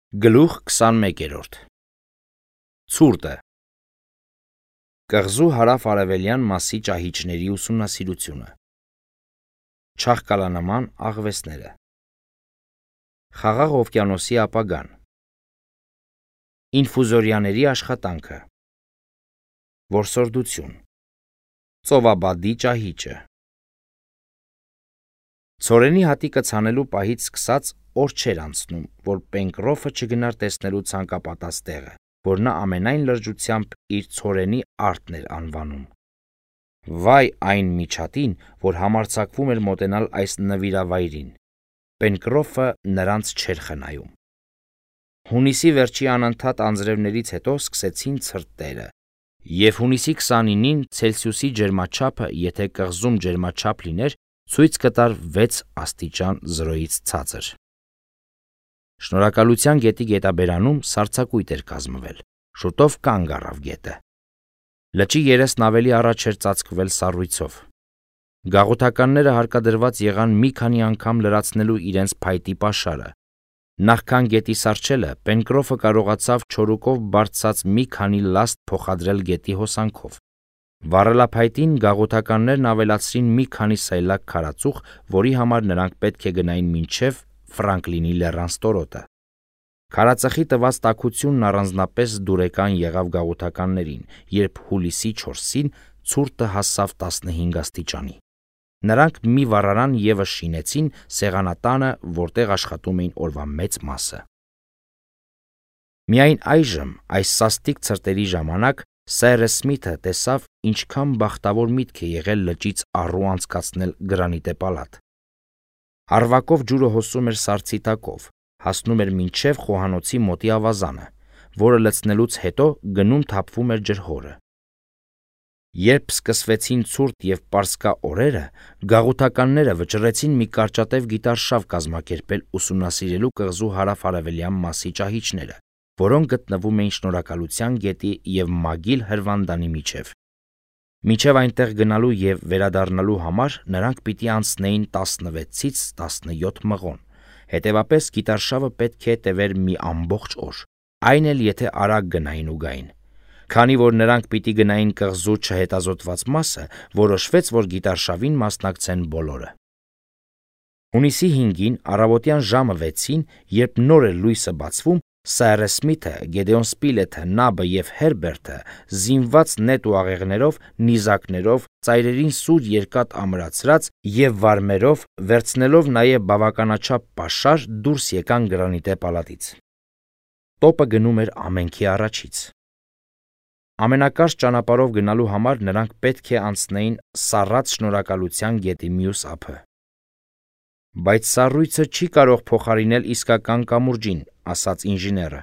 Գլուխ 21 Ցուրտը Կղզու հարավ-արևելյան մասի ճահիճների ուսումնասիրությունը Չաղկալանման աղվեսները Խաղաղ օվկիանոսի ապագան Ինֆուզորիաների աշխատանքը Որսորդություն Ծովաբադի ճահիճը Ցորենի հատիկը ցանելու պահից սկսած օր չէր անցնում, որ Պենկրոֆը չգնար տեսնելու ցանկապատած տեղը, որ նա ամենայն լրջությամբ իր ցորենի արտն էր անվանում։ Վայ այն միջատին, որ համարձակվում էր մոտենալ այս նվիրավայրին։ Պենկրոֆը նրանց չէր խնայում։ Հունիսի վերջի անընդհատ անձրևներից հետո սկսեցին ցրտերը, եւ հունիսի 29-ին Ցելսիուսի ջերմաչափը, եթե կղզում ջերմաչափ լիներ, ցույց կտար 6 աստիճան 0-ից ցածր։ Շնորհակալության գետի գետաբերանում սառցակույտ էր կազմվել, շուտով կանգ առավ գետը։ Լճի երեսն ավելի առաջ էր ծածկվել սառույցով։ Գաղութականները հարկադրված եղան մի քանի անգամ լրացնելու իրենց փայտի պաշարը։ Նախքան գետի սառչելը, Պենկրոֆը կարողացավ չորուկով բարձած մի քանի լաստ փոխադրել գետի հոսանքով։ Վառելափայտին գաղութականներն ավելացրին մի քանի սայլակ քարածուխ, որի համար նրանք պետք է գնային մինչև Ֆրանկլինի լեռան ստորոտը։ Քարածխի տված տաքությունն առանձնապես դուրեկան եղավ գաղութականներին, երբ հուլիսի 4-ին ցուրտը հասավ 15 աստիճանի։ Նրանք մի վառարան ևս շինեցին սեղանատանը, որտեղ աշխատում էին օրվա մեծ մասը։ Միայն այժմ, այս սաստիկ ցրտերի ժամանակ, Սայրս Սմիթը տեսավ, ինչքան բախտավոր միտք է եղել լճից առու անցկացնել գրանիտե պալատ։ Արվակով ջուրը հոսում էր սառցի տակով, հասնում էր մինչև խոհանոցի մոտի ավազանը, որը լցնելուց հետո գնում թափվում էր ջրհորը։ Երբ սկսվեցին ցուրտ եւ պարսկա օրերը, գաղութականները վճռեցին մի կարճատև գիտարշավ կազմակերպել ուսումնասիրելու կղզու հարավ-արևելյան մասի ճահիճները, որոնք գտնվում էին Շնորհակալության գետի եւ Մագիլ հրվանդանի միջև։ Մինչև այնտեղ գնալու եւ վերադառնալու համար նրանք պիտի անցնեին 16-ից 17 մղոն, հետեւապես գիտարշավը պետք է տևեր մի ամբողջ օր, այն էլ եթե արագ գնային ու գային։ Քանի որ նրանք պիտի գնային կղզու չհետազոտված մասը, որոշվեց, որ գիտարշավին մասնակցեն բոլորը։ Հունիսի 5-ին առավոտյան ժամը 6-ին, երբ նոր էր լույսը բացվում, Սայրս Սմիթը, Գեդեոն Սպիլեթը, Նաբը եւ Հերբերտը, զինված նետ ու աղեղներով, նիզակներով, ծայրերին սուր երկաթ ամրացրած եւ վարմերով, վերցնելով նաեւ բավականաչափ պաշար, դուրս եկան գրանիտե պալատից։ Տոպը գնում էր ամենքի առաջից։ Ամենակարճ ճանապարհով գնալու համար նրանք պետք է անցնեին սառած Շնորհակալության գետի մյուս ափը։ Բայց սառույցը չի կարող փոխարինել իսկական կամուրջին, ասաց ինժեները,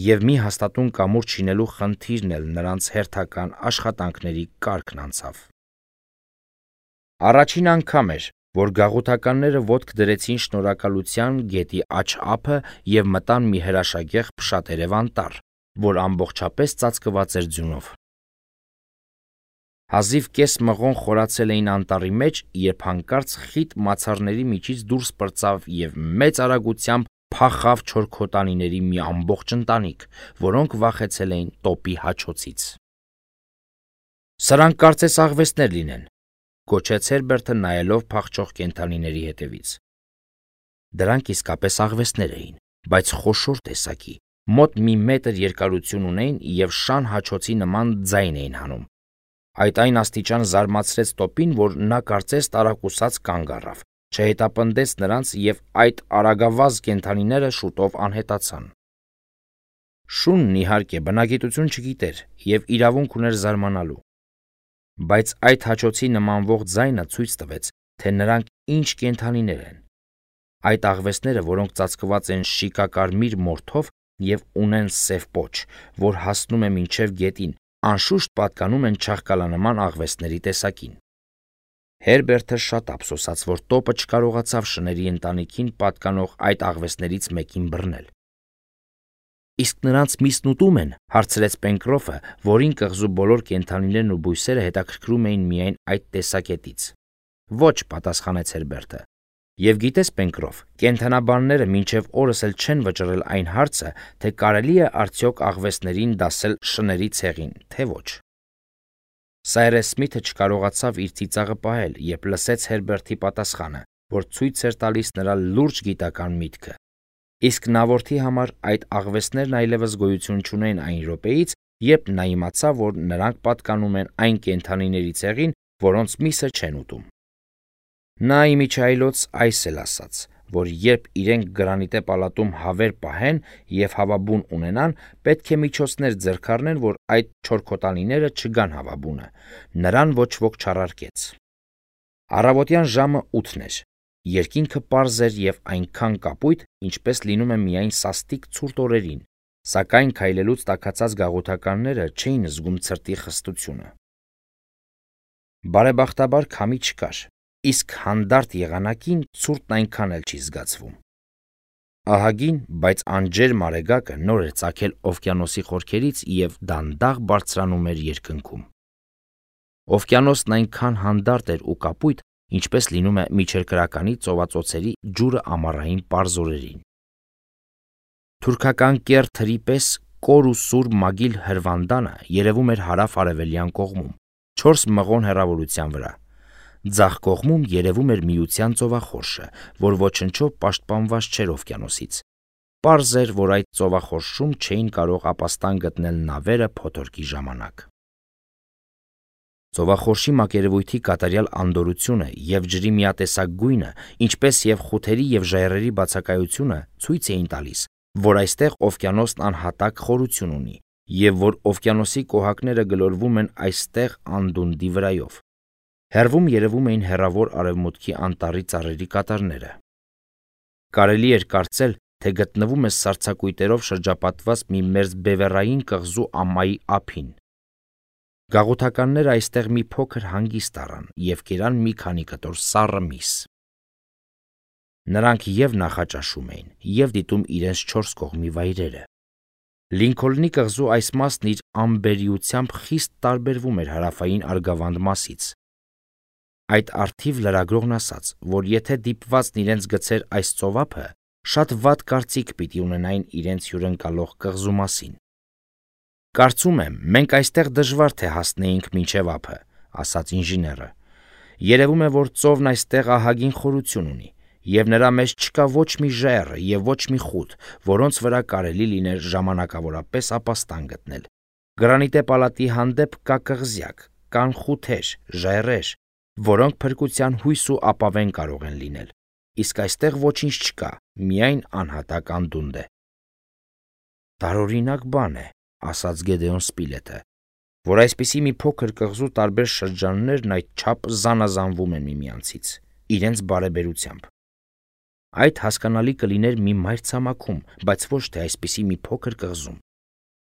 եւ մի հաստատուն կամուրջ շինելու խնդիրն էլ նրանց հերթական աշխատանքների կարգն անցավ։ Առաջին անգամ էր, որ գաղութականները ոտք դրեցին Շնորհակալության գետի աջ ափը եւ մտան մի հրաշագեղ փշատերև անտառ, որ ամբողջապես ծածկված էր ձյունով։ Հազիվ կես մղոն խորացել էին անտառի մեջ, երբ հանկարծ խիտ մացառների միջից դուրս պրծավ եւ մեծ արագությամբ փախավ չորքոտանիների մի ամբողջ ընտանիք, որոնք վախեցել էին տոպի հաչոցից։ Սրանք կարծես աղվեսներ լինեն, գոչեց Հերբերտը նայելով փախչող կենդանիների հետևից։ Դրանք իսկապես աղվեսներ էին, բայց խոշոր տեսակի, մոտ մի մետր երկարություն ունեին եւ շան հաչոցի նման ձայն էին հանում։ Այդ այն աստիճան զարմացրեց տոպին, որ նա կարծես տարակուսած կանգ առավ, չհետապնդեց նրանց եւ այդ արագավազ կենդանիները շուտով անհետացան։ Շունն իհարկե բնագիտություն չգիտեր եւ իրավունք ուներ զարմանալու, բայց այդ հաչոցի նմանվող ձայնը ցույց տվեց, թե նրանք ինչ կենդանիներ են։ Այդ աղվեսները, որոնք ծածկված են շիկակարմիր մորթով եւ ունեն սև պոչ, որ հասնում է մինչև գետին, անշուշտ պատկանում են չաղկալանման աղվեսների տեսակին։ Հերբերտը շատ ափսոսաց, որ տոպը չկարողացավ շների ընտանիքին պատկանող այդ աղվեսներից մեկին բռնել։ Իսկ նրանց միսն ուտում են, հարցրեց Պենկրոֆը, որին կղզու բոլոր կենդանիներն ու բույսերը հետաքրքրում էին միայն այդ տեսակետից։ Ոչ, պատասխանեց Հերբերտը, Եվ գիտես, Պենկրոֆ, կենդանաբանները մինչև օրս էլ չեն վճռել այն հարցը, թե կարելի է արդյոք աղվեսներին դասել շների ցեղին, թե ոչ։ Սայրես Սմիթը չկարողացավ իր ծիծաղը պահել, երբ լսեց Հերբերտի պատասխանը, որ ցույց էր տալիս նրա լուրջ գիտական միտքը։ Իսկ նավորդի համար այդ աղվեսներն այլևս գոյություն չունեն այն րոպեից, երբ նա իմացավ, որ նրանք պատկանում են այն կենդանիների ցեղին, որոնց միսը չեն ուտում։ Նա իմիջայլոց այս էլ ասաց, որ երբ իրենք գրանիտե պալատում հավեր պահեն եւ հավաբուն ունենան, պետք է միջոցներ ձեռք առնեն, որ այդ չորքոտանիները չգան հավաբունը։ Նրան ոչ ոք չառարկեց։ Առավոտյան ժամը 8-ն էր։ Երկինքը պարզ էր եւ այնքան կապույտ, ինչպես լինում է միայն սաստիկ ցուրտ օրերին, սակայն քայլելուց տաքացած գաղութականները չէին զգում ցրտի խստությունը։ Բարեբախտաբար քամի չկար, իսկ հանդարտ եղանակին ցուրտն այնքան էլ չի զգացվում։ Ահագին, բայց անջեր մարեգակը նոր էր ծագել օվկիանոսի խորքերից եւ դանդաղ բարձրանում էր երկնքում։ Օվկիանոսն այնքան հանդարտ էր ու կապույտ, ինչպես լինում է միջերկրականի ծովածոցերի ջուրը ամառային պարզ օրերին։ Թուրքական կեռ թրի պես կոր ու սուր մագիլ հրվանդանը երևում էր հարավ-արևելյան կողմում, 4 մղոն հեռավորության վրա։ Ձախ կողմում երևում էր Միության ծովախորշը, որ ոչնչով պաշտպանված չէր օվկիանոսից։ Պարզ էր, որ այդ ծովախորշում չէին կարող ապաստան գտնել նավերը փոթորկի ժամանակ։ Ծովախորշի մակերևույթի կատարյալ անդորությունը եւ ջրի միատեսակ գույնը, ինչպես եւ խութերի եւ ժայռերի բացակայությունը ցույց էին տալիս, որ այստեղ օվկիանոսն անհատակ խորություն ունի եւ որ օվկիանոսի կոհակները գլորվում են այստեղ անդունդի վրայով։ Հեռվում երևում էին հեռավոր արևմուտքի անտառի ծառերի կատարները։ Կարելի էր կարծել, թե գտնվում է սառցակույտերով շրջապատված մի մերձ բևեռային կղզու ամայի ափին։ Գաղութականները այստեղ մի փոքր հանգիստ առան եւ կերան մի քանի կտոր սառը միս։ Նրանք եւ նախաճաշում էին, եւ դիտում իրենց 4 կողմի վայրերը։ Լինքոլնի կղզու այս մասն իր ամբերիությամբ խիստ տարբերվում էր հարավային Արգավանդ մասից։ Այդ արդիվ լրագրողն ասաց, որ եթե դիպվածն իրենց գցեր այս ծովափը, շատ վատ կարծիք պիտի ունենային իրենց հյուրընկալող կղզու մասին։ Կարծում եմ, մենք այստեղ դժվար թե հասնեինք մինչև ափը, ասաց ինժեները։ Երևում է, որ ծովն այստեղ ահագին խորություն ունի, եւ նրա մեջ չկա ոչ մի ժայռ եւ ոչ մի խութ, որոնց վրա կարելի լիներ ժամանակավորապես ապաստան գտնել։ Գրանիտե պալատի հանդեպ կա կղզյակ, կան խութեր, ժայռեր, որոնք փրկության հույս ու ապավեն կարող են լինել, իսկ այստեղ ոչինչ չկա, միայն անհատակ անդունդ է։ Տարօրինակ բան է, ասաց Գեդեոն Սպիլետը, որ այսպիսի մի փոքր կղզու տարբեր շրջաններն այդչափ զանազանվում են միմյանցից, իրենց բարեբերությամբ։ Այդ հասկանալի կլիներ մի մայրցամաքում, բայց ոչ թե այսպիսի մի փոքր կղզում։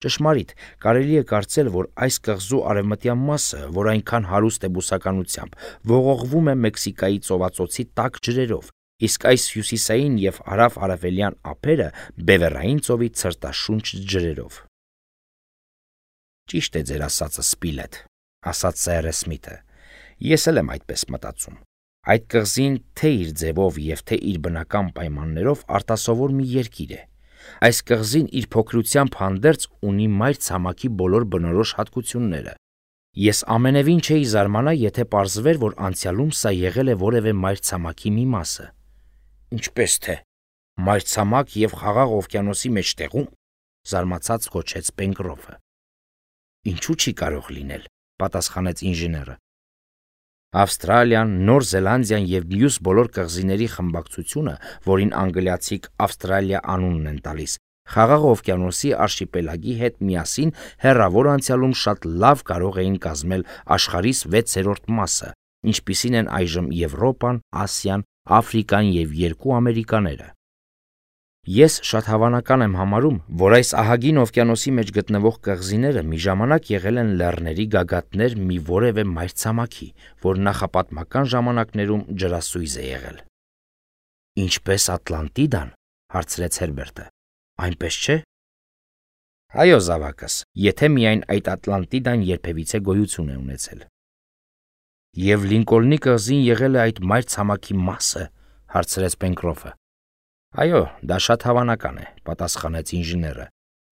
Ճշմարիտ, կարելի է կարծել, որ այս կղզու արևմտյան մասը, որ այնքան հարուստ է բուսականությամբ, ողողվում է Մեքսիկայի ծովածոցի տաք ջրերով, իսկ այս հյուսիսային եւ հարավ-արևելյան ափերը Բևեռային ծովի ցրտաշունչ ջրերով։ Ճիշտ է ձեր ասածը, Սպիլետ, ասաց Սայրես Սմիթը։ Ես էլ եմ այդպես մտածում։ Այդ կղզին թե իր ձևով եւ թե իր բնական պայմաններով արտասովոր մի երկիր է։ Այս կղզին իր փոքրությամբ հանդերձ ունի մայրցամաքի բոլոր բնորոշ հատկությունները։ Ես ամենևին չէի զարմանա, եթե պարզվեր, որ անցյալում սա եղել է որևէ մայրցամաքի մի մասը։ Ինչպես թե մայրցամաք եւ խաղաղ օվկիանոսի մեջտեղում, զարմացած գոչեց Պենկրոֆը։ Ինչու չի կարող լինել, պատասխանեց ինժեները։ Ավստրալիան, Նոր Զելանդիան եւ մյուս բոլոր կղզիների խմբակցությունը, որին անգլիացիք Ավստրալիա անունն են տալիս, Խաղաղ օվկիանոսի արշիպելագի հետ միասին հեռավոր անցյալում շատ լավ կարող էին կազմել աշխարհի 6-րդ մասը, ինչպիսին են այժմ Եվրոպան, Ասիան, Աֆրիկան եւ 2 Ամերիկաները։ Ես շատ հավանական եմ համարում, որ այս ահագին օվկիանոսի մեջ գտնվող կղզիները մի ժամանակ եղել են լեռների գագաթներ մի որևէ մայրցամաքի, որ նախապատմական ժամանակներում ջրասույզ է եղել։ Ինչպես Ատլանտիդան, հարցրեց Հերբերտը։ Այնպես չէ։ Այո, զավակս, եթե միայն այդ Ատլանտիդան երբևիցե գոյություն է ունեցել։ Եվ Լինկոլնի կղզին եղել է այդ մայրցամաքի մասը, հարցրեց Պենկրոֆը։ Այո, դա շատ հավանական է, պատասխանեց ինժեները,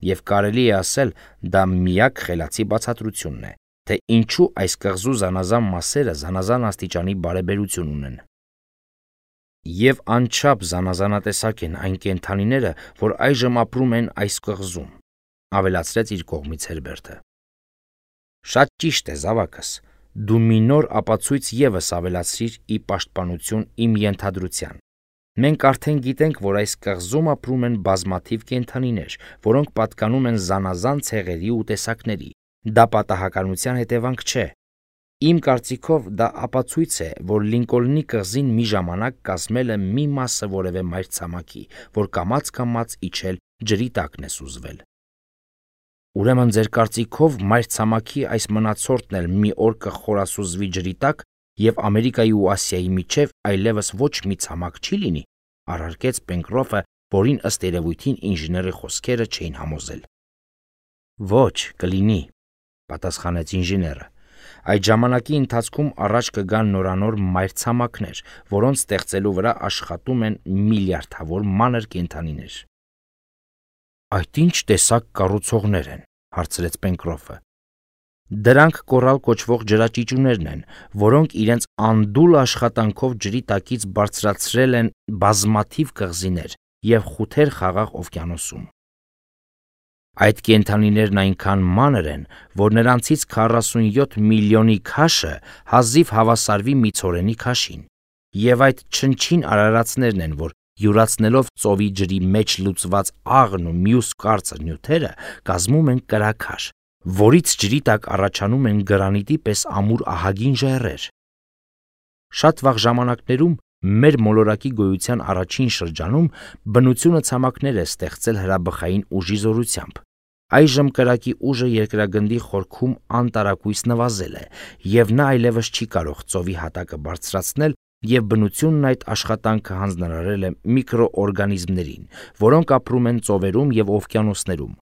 եւ կարելի է ասել, դա միակ խելացի բացատրությունն է, թե ինչու այս կղզու զանազան մասերը զանազան աստիճանի բարեբերություն ունեն։ Եվ անչափ զանազանատեսակ են այն կենդանիները, որ այժմ ապրում են այս կղզում, ավելացրեց իր կողմից Հերբերտը։ Շատ ճիշտ է, զավակս, դու մի նոր ապացույց ևս ավելացրիր ի պաշտպանություն իմ ենթադրության։ Մենք արդեն գիտենք, որ այս կղզում ապրում են բազմաթիվ կենդանիներ, որոնք պատկանում են զանազան ցեղերի ու տեսակների։ Դա պատահականության հետևանք չէ։ Իմ կարծիքով դա ապացույց է, որ Լինկոլնի կղզին մի ժամանակ կազմել է մի մասը որևէ մայրցամաքի, որ կամաց-կամաց իջել ջրի տակն է սուզվել։ Ուրեմն ձեր կարծիքով մայրցամաքի այս մնացորդն էլ մի օր կխորասուզվի ջրի տակ եւ Ամերիկայի ու Ասիայի միջև այլևս ոչ մի ցամաք չի լինի, առարկեց Պենկրոֆը, որին ըստ երևույթին ինժեների խոսքերը չէին համոզել։ Ոչ, կլինի, պատասխանեց ինժեները։ Այդ ժամանակի ընթացքում առաջ կգան նորանոր մայրցամաքներ, որոնց ստեղծելու վրա աշխատում են միլիարդավոր մանր կենդանիներ։ Այդ ինչ տեսակ կառուցողներ են, հարցրեց Պենկրոֆը։ Դրանք կորալ կոչվող ջրաճիճուներն են, որոնք իրենց անդուլ աշխատանքով ջրի տակից բարձրացրել են բազմաթիվ կղզիներ եւ խութեր Խաղաղ օվկիանոսում։ Այդ կենդանիներն այնքան մանր են, որ նրանցից 47 միլիոնի քաշը հազիվ հավասարվի մի ցորենի քաշին, եւ այդ չնչին արարածներն են, որ յուրացնելով ծովի ջրի մեջ լուծված աղն ու մյուս կարծր նյութերը կազմում են կրաքար, որից ջրի տակ առաջանում են գրանիտի պես ամուր ահագին ժայռեր։ Շատ վաղ ժամանակներում մեր մոլորակի գոյության առաջին շրջանում բնությունը ցամաքներ է ստեղծել հրաբխային ուժի զորությամբ։ Այժմ կրակի ուժը երկրագնդի խորքում անտարակույս նվազել է, եւ նա այլևս չի կարող ծովի հատակը բարձրացնել, եւ բնությունն այդ աշխատանքը հանձնարարել է միկրոօրգանիզմներին, որոնք ապրում են ծովերում եւ օվկիանոսներում։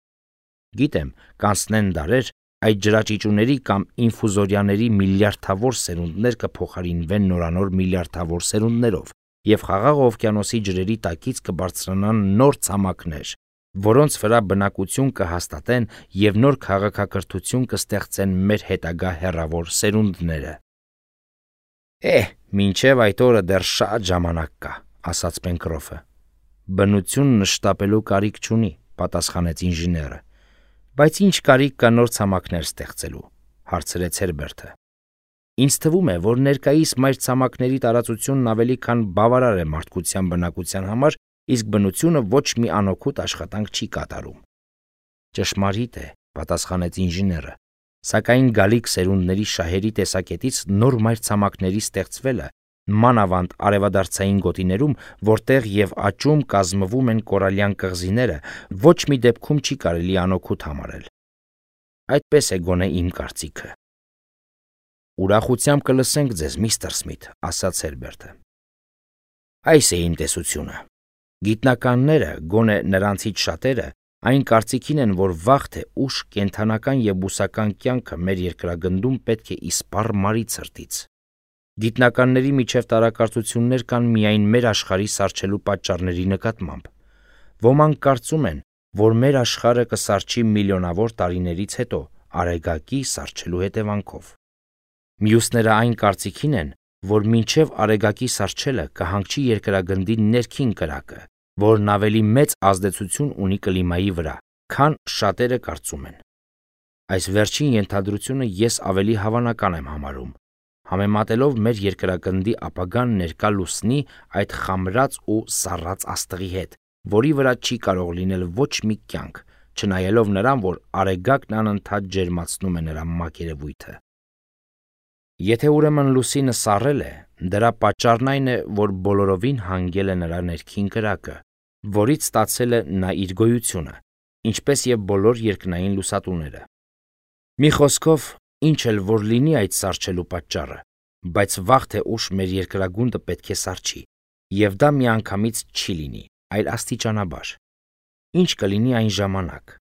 Գիտեմ, կանցնեն դարեր, այդ ջրաճիճուների կամ ինֆուզորյաների միլիարդավոր սերունդներ կփոխարինվեն նորանոր միլիարդավոր սերունդներով, եւ Խաղաղ օվկիանոսի ջրերի տակից կբարձրանան նոր ցամաքներ, որոնց վրա բնակություն կհաստատեն եւ նոր քաղաքակրթություն կստեղծեն մեր հետագա հեռավոր սերունդները։ Մինչև այդ օրը դեռ շատ ժամանակ կա, ասաց Պենկրոֆը։ Բնությունն շտապելու կարիք չունի, պատասխանեց ինժեները։ Բայց ինչ կարիք կա նոր ցամաքներ ստեղծելու, հարցրեց Հերբերտը։ Ինձ թվում է, որ ներկայիս մայրցամաքների տարածությունն ավելի քան բավարար է մարդկության բնակության համար, իսկ բնությունը ոչ մի անօգուտ աշխատանք չի կատարում։ Ճշմարիտ է, պատասխանեց ինժեները, սակայն գալիք սերունդների շահերի տեսակետից նոր մայրցամաքների ստեղծվելը, մանավանդ արևադարձային գոտիներում, որտեղ եւ աճում կազմվում են կորալյան կղզիները, ոչ մի դեպքում չի կարելի անօգուտ համարել։ Այդպես է գոնե իմ կարծիքը։ Ուրախությամբ կլսենք ձեզ, միստր Սմիթ, ասաց Հերբերտը։ Այս է իմ տեսությունը։ Գիտնականները, գոնե նրանցից շատերը, այն կարծիքին են, որ վաղ թե ուշ կենդանական եւ բուսական կյանքը մեր երկրագնդում պետք է իսպառ մարի ցրտից։ Գիտնականների միջև տարակարծություններ կան միայն մեր աշխարհի սառչելու պատճառների նկատմամբ։ Ոմանք կարծում են, որ մեր աշխարհը կսառչի միլիոնավոր տարիներից հետո Արեգակի սառչելու հետևանքով։ Մյուսները այն կարծիքին են, որ մինչև Արեգակի սառչելը կհանգչի երկրագնդի ներքին կրակը, որն ավելի մեծ ազդեցություն ունի կլիմայի վրա, քան շատերը կարծում են։ Այս վերջին ենթադրությունը ես ավելի հավանական եմ համարում, համեմատելով մեր երկրագնդի ապագան ներկա լուսնի այդ խամրած ու սառած աստղի հետ, որի վրա չի կարող լինել ոչ մի կյանք, չնայելով նրան, որ Արեգակն անընդհատ ջերմացնում է նրա մակերևույթը։ Եթե ուրեմն լուսինը սառել է, դրա պատճառն այն է, որ բոլորովին հանգել է նրա ներքին կրակը, որից ստացել է նա իր գոյությունը, ինչպես եւ բոլոր երկնային լուսատուները։ Մի խոսքով, ինչ էլ որ լինի այդ սառչելու պատճառը, բայց վաղ թե ուշ մեր երկրագունդը պետք է սառչի, եւ դա միանգամից չի լինի, այլ աստիճանաբար։ Ինչ կլինի այն ժամանակ։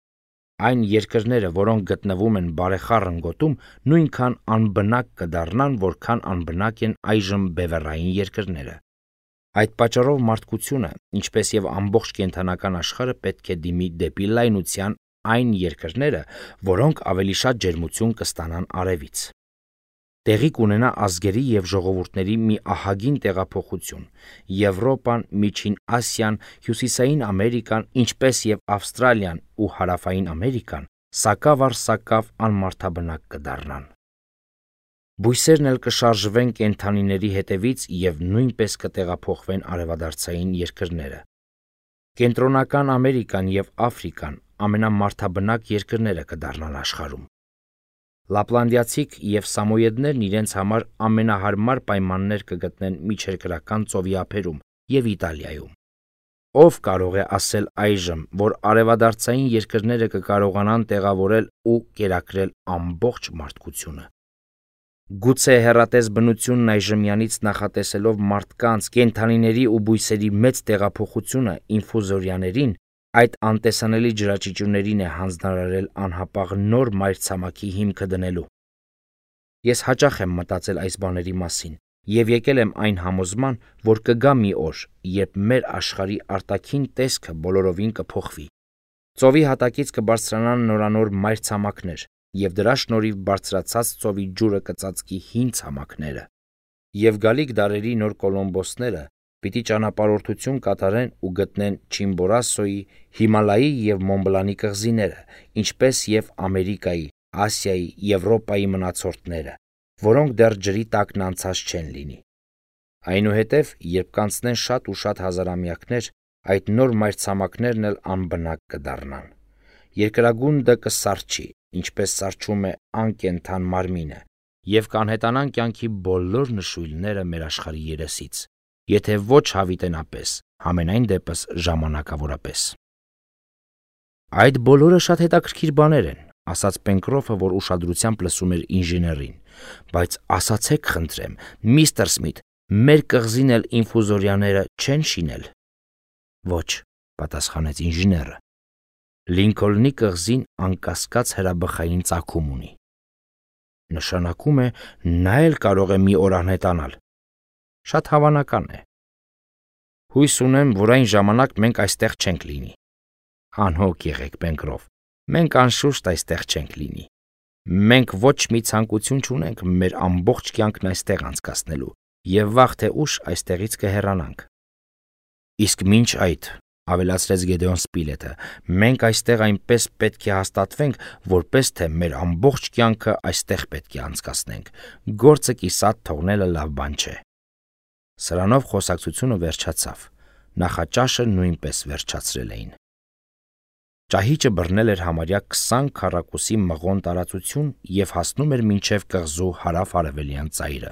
Այն երկրները, որոնք գտնվում են բարեխառն գոտում, նույնքան անբնակ կդառնան, որքան անբնակ են այժմ բևեռային երկրները։ Այդ պատճառով մարդկությունը, ինչպես եւ ամբողջ կենդանական աշխարհը պետք է դիմի դեպի լայնության այն երկրները, որոնք ավելի շատ ջերմություն կստանան արևից։ Տեղի կունենա ազգերի եւ ժողովուրդների մի ահագին տեղափոխություն։ Եվրոպան, Միջին Ասիան, Հյուսիսային Ամերիկան, ինչպես եւ Ավստրալիան ու Հարավային Ամերիկան սակավ առ սակավ անմարդաբնակ կդառնան։ Բույսերն էլ կշարժվեն կենդանիների հետևից եւ նույնպես կտեղափոխվեն արևադարձային երկրները։ Կենտրոնական Ամերիկան եւ Աֆրիկան ամենամարդաբնակ երկրները կդառնան աշխարհում։ Լապլանդիացիք եւ սամոյեդներն իրենց համար ամենահարմար պայմաններ կգտնեն միջերկրական ծովի ափերում եւ Իտալիայում։ Ով կարող է ասել այժմ, որ արևադարձային երկրները կկարողանան տեղավորել ու կերակրել ամբողջ մարդկությունը։ Գուցե հեռատես բնությունն այժմյանից նախատեսելով մարդկանց, կենդանիների ու բույսերի մեծ տեղափոխությունը ինֆուզորիաներին այդ անտեսանելի ջրաճիճուներին է հանձնարարել անհապաղ նոր մայրցամաքի հիմքը դնելու։ Ես հաճախ եմ մտածել այս բաների մասին եւ եկել եմ այն համոզման, որ կգա մի օր, երբ մեր աշխարհի արտաքին տեսքը բոլորովին կփոխվի։ Ծովի հատակից կբարձրանան նորանոր մայրցամաքներ եւ դրա շնորհիվ բարձրացած ծովի ջուրը կծածկի հին ցամաքները։ Եվ գալիք դարերի նոր կոլոմբոսները պիտի ճանապարհորդություն կատարեն ու գտնեն Չիմբորասոյի, Հիմալայի եւ Մոնբլանի կղզիները, ինչպես եւ Ամերիկայի, Ասիայի, Եվրոպայի մնացորդները, որոնք դեռ ջրի տակն անցած չեն լինի։ Այնուհետև, երբ կանցնեն շատ ու շատ հազարամյակներ, այդ նոր մայրցամաքներն էլ անբնակ կդառնան։ Երկրագունդը կսառչի, ինչպես սառչում է անկենդան մարմինը, եւ կանհետանան կյանքի բոլոր նշույլները մեր աշխարհի երեսից, եթե ոչ հավիտենապես, համենայն դեպս ժամանակավորապես։ Այդ բոլորը շատ հետաքրքիր բաներ են, ասաց Պենկրոֆը, որ ուշադրությամբ լսում էր ինժեներին, բայց ասացեք խնդրեմ, միստր Սմիթ, մեր կղզին էլ ինֆուզորիաները չեն շինել։ Ոչ, պատասխանեց ինժեները։ Լինքոլնի կղզին անկասկած հրաբխային ծագում ունի։ Նշանակում է, նա էլ կարող է մի օր անհետանալ։ Շատ հավանական է։ Հույս ունեմ, որ այն ժամանակ մենք այստեղ չենք լինի։ Անհոգ եղեք, Պենկրոֆ, մենք անշուշտ այստեղ չենք լինի։ Մենք ոչ մի ցանկություն չունենք մեր ամբողջ կյանքն այստեղ անցկացնելու եւ վաղ թե ուշ այստեղից կհեռանանք։ Իսկ մինչ այդ, ավելացրեց Գեդեոն Սպիլետը, մենք այստեղ այնպես պետք է հաստատվենք, որպես թե մեր ամբողջ կյանքը այստեղ պետք է անցկացնենք։ Գործը կիսատ թողնելը լավ բան չէ։ Սրանով խոսակցությունը վերջացավ։ Նախաճաշը նույնպես վերջացրել էին։ Ճահիճը բռնել էր համարյա 20 քառակուսի մղոն տարածություն եւ հասնում էր մինչեւ կղզու հարավ-արևելյան ծայրը։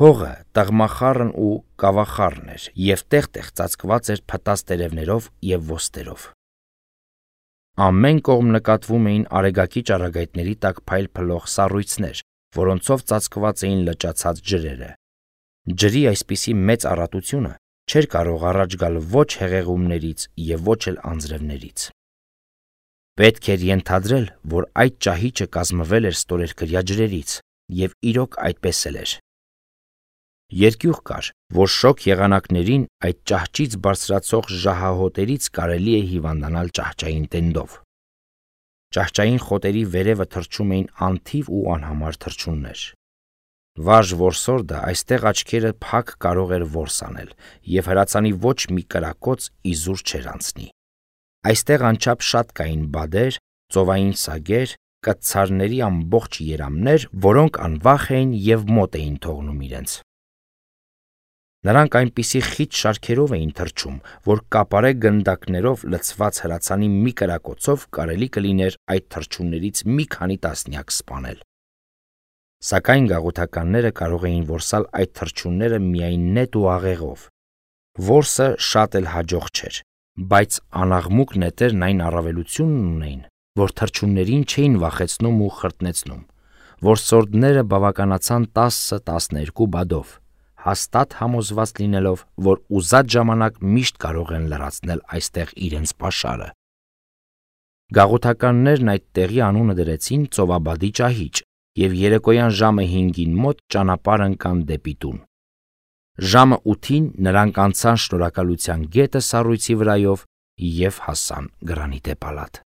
Հողը տաղմախառն ու կավախառն էր եւ տեղ-տեղ ծածկված էր փտած տերևներով եւ ոստերով։ Ամեն կողմ նկատվում էին արեգակի ճառագայթների տակ փայլ փլող սառույցներ, որոնցով ծածկված էին լճացած ջրերը։ Ջրի այսպիսի մեծ առատությունը չէր կարող առաջ գալ ոչ հեղեղումներից եւ ոչ էլ անձրևներից։ Պետք էր ենթադրել, որ այդ ճահիճը կազմվել էր ստորերկրյա ջրերից, եւ իրոք այդպես էլ էր։ Երկյուղ կար, որ շոգ եղանակներին այդ ճահճից բարձրացող ժահահոտերից կարելի է հիվանդանալ ճահճային տենդով։ Ճահճային խոտերի վերևը թռչում էին անթիվ ու անհամար թռչուններ։ Վարժ որսորդը այստեղ աչքերը փակ կարող էր որս անել, եւ հրացանի ոչ մի կրակոց իզուր չէր անցնի։ Այստեղ անչափ շատ կային բադեր, ծովային սագեր, կտցարների ամբողջ երամներ, որոնք անվախ էին եւ մոտ էին թողնում իրենց։ Նրանք այնպիսի խիտ շարքերով էին թռչում, որ կապարե գնդակներով լցված հրացանի մի կրակոցով կարելի կլիներ այդ թռչուններից մի քանի տասնյակ սպանել։ Սակայն գաղութականները կարող էին որսալ այդ թռչունները միայն նետ ու աղեղով։ Որսը շատ էլ հաջող չէր, բայց անաղմուկ նետերն այն առավելությունն ունեին, որ թռչուններին չէին վախեցնում ու խրտնեցնում։ Որսորդները բավականացան 10-12 բադով, հաստատ համոզված լինելով, որ ուզած ժամանակ միշտ կարող են լրացնել այստեղ իրենց պաշարը։ Գաղութականներն այդ տեղի անունը դրեցին ծովաբադի ճահիճ եւ երեկոյան ժամը 5-ին մոտ ճանապարհ ընկան դեպի տուն։ Ժամը 8-ին նրանք անցան Շնորհակալության գետը սառույցի վրայով և հասան Գրանիտե պալատ։